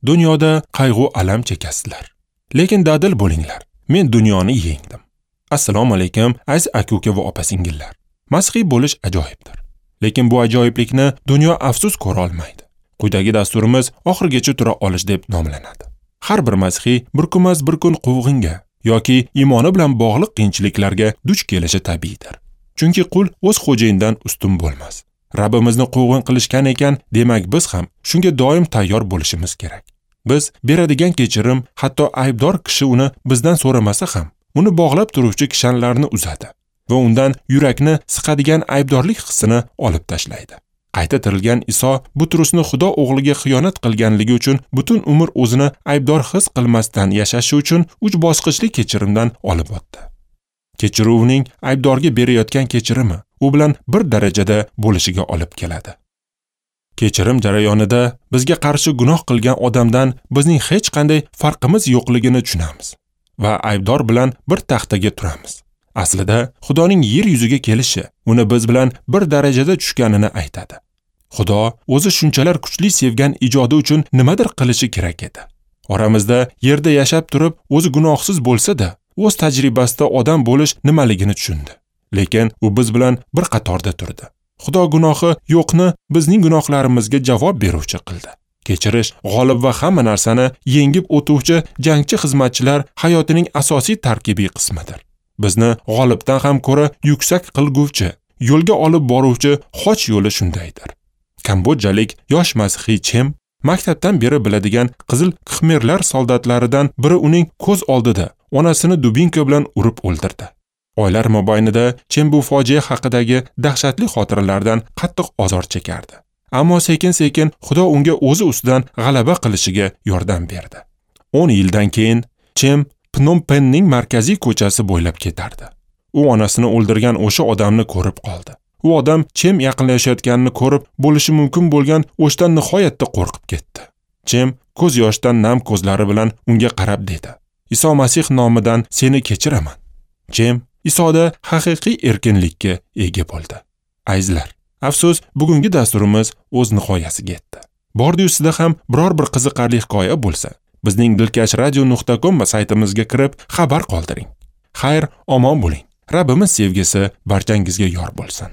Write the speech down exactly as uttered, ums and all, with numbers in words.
Dunyoda qayg'u alam chekasizlar. Lekin dadil bo'linglar. Men dunyoni yengdim. Assalomu alaykum, aziz aka-uka va opa-singillar. Masihiy bo'lish ajoyibdir. Lekin bu ajoyiblikni dunyo afsus ko'ra olmaydi. Quyidagi dasturimiz oxirigacha tura olish deb nomlanadi. Har bir masihiy bir kunmas bir kun quvg'inga yoki iymoni bilan bog'liq qiyinchiliklarga duch kelishi tabiiydir. Chunki qul o'z xo'jayinidan ustun bo'lmas. Rabbimizni quvg'in qilishgan ekan, demak biz ham shunga doim tayyor bo'lishimiz kerak. Biz beradigan kechirim, hatto aybdor kishi uni bizdan so'ramasa ham, uni bog'lab turuvchi kishanlarni uzadi va undan yurakni siqadigan aybdorlik hissini olib tashlaydi. Qayta tirilgan Iso Butrusni Xudo o'g'liga xiyonat qilganligi uchun butun umr o'zini aybdor his qilmasdan yashashi uchun uch bosqichli kechirimdan olib o'tdi. Kechiruvning aybdorga berayotgan kechirimi u bilan bir darajada bo'lishiga olib keladi. Kechirim jarayonida bizga qarshi gunoh qilgan odamdan bizning hech qanday farqimiz yo'qligini tushunamiz va aybdor bilan bir taxtaga turamiz. Aslida Xudoning yer yuziga kelishi uni biz bilan bir darajada tushganini aytadi. Xudo o'zi shunchalar kuchli sevgan ijodi uchun nimadir qilishi kerak edi. Oramizda yerda yashab turib, o'zi gunohsiz bo'lsa-da, o'z tajribasida odam bo'lish nimaligini tushundi. Lekin u biz bilan bir qatorda turdi. Xudo gunohi yo'qni bizning gunohlarimizga javob beruvchi qildi. Kechirish g'olib va hamma narsani yengib o'tuvchi jangchi xizmatchilar hayotining asosiy tarkibiy qismidir. Bizni g'olibdan ham ko'ra yuksak qilguvchi, yo'lga olib boruvchi xoch yo'li shundaydir. Kambodjalik yosh masihiy Chem maktabdan beri biladigan Qizil Khmerlar soldatlaridan biri uning ko'z oldida onasini dubinka bilan urib o'ldirdi. Oylar mobaynida Chem bu fojia haqidagi dahshatli xotiralardan qattiq ozor chekardi. Ammo sekin-sekin Xudo unga o'zi ustidan g'alaba qilishiga yordam berdi. o'n yildan keyin Chem Phnom Penhning markaziy ko'chasi bo'ylab ketardi. U onasini o'ldirgan o'sha odamni ko'rib qoldi. U odam Chem yaqinlashayotganini ko'rib, bo'lishi mumkin bo'lgan o'shdan nihoyatda qo'rqib ketdi. Chem ko'z yoshdan nam ko'zlari bilan unga qarab dedi: "Iso Masih nomidan seni kechiraman." Chem Isoda haqiqiy erkinlikka ega bo'ldi. Azizlar, afsus, bugungi dasturimiz o'z nihoyasiga yetdi. Bordi ustida ham biror bir qiziqarli hikoya bo'lsa, bizning dilkash radio nuqta com saytimizga kirib xabar qoldiring. Xayr, omon bo'ling. Rabbimiz sevgisi barchangizga yor bo'lsin.